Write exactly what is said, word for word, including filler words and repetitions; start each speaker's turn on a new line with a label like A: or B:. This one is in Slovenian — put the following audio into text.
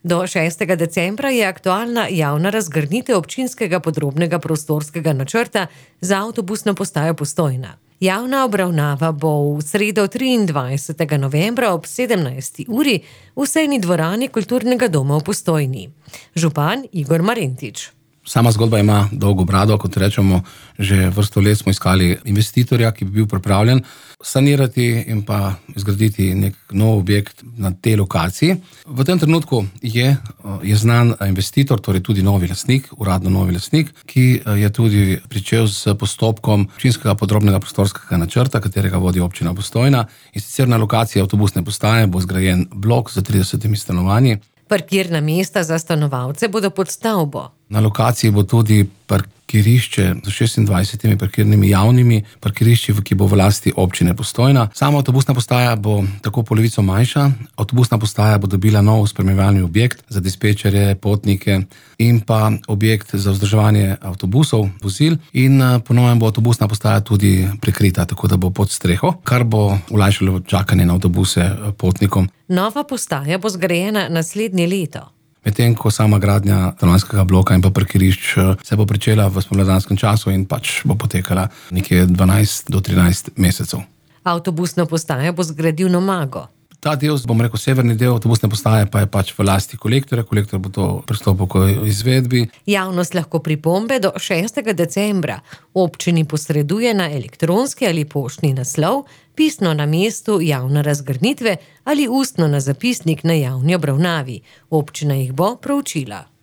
A: Do šestega decembra je aktualna javna razgrnitev občinskega podrobnega prostorskega načrta za avtobusno postajo Postojna. Javna obravnava bo v sredo triindvajsetega novembra ob sedemnajsti uri v sejni dvorani Kulturnega doma v Postojni. Župan Igor Marentič.
B: Sama zgodba ima dolgo brado, kot rečemo, že vrsto let smo iskali investitorja, ki bi bil pripravljen sanirati in pa izgraditi nek nov objekt na tej lokaciji. V tem trenutku je, je znan investitor, torej tudi novi lastnik, uradno novi lastnik, ki je tudi pričel s postopkom občinskega podrobnega prostorskega načrta, katerega vodi občina Postojna. In sicer na lokaciji avtobusne postaje bo zgrajen blok z tridesetimi stanovanji.
A: Parkirna mesta za stanovalce bodo pod stavbo.
B: Na lokaciji bo tudi parkirišče z šestindvajsetimi parkirnimi javnimi parkirišči, ki bo v lasti občine Postojna. Sama avtobusna postaja bo tako polovico manjša. Avtobusna postaja bo dobila nov spremljevalni objekt za dispečerje, potnike in pa objekt za vzdrževanje avtobusov, vozil. In po novem bo avtobusna postaja tudi prekrita, tako da bo pod streho, kar bo olajšalo čakanje na avtobuse potnikom.
A: Nova postaja bo zgrajena naslednje leto.
B: Medtem ko sama gradnja stanovanjskega bloka in pa parkirišč se bo pričela v spomladanskem času in pač bo potekala nekje dvanajst do trinajst mesecev.
A: Avtobusno postajo bo zgradil Nomago.
B: Ta del, bom rekel, severni del avtobusne postaje pa je pač v lasti kolektorja. Kolektor bo to pristopil k izvedbi.
A: Javnost lahko pripombe do šestega decembra občini posreduje na elektronski ali poštni naslov, pisno na mestu javne razgrnitve ali ustno na zapisnik na javni obravnavi. Občina jih bo proučila.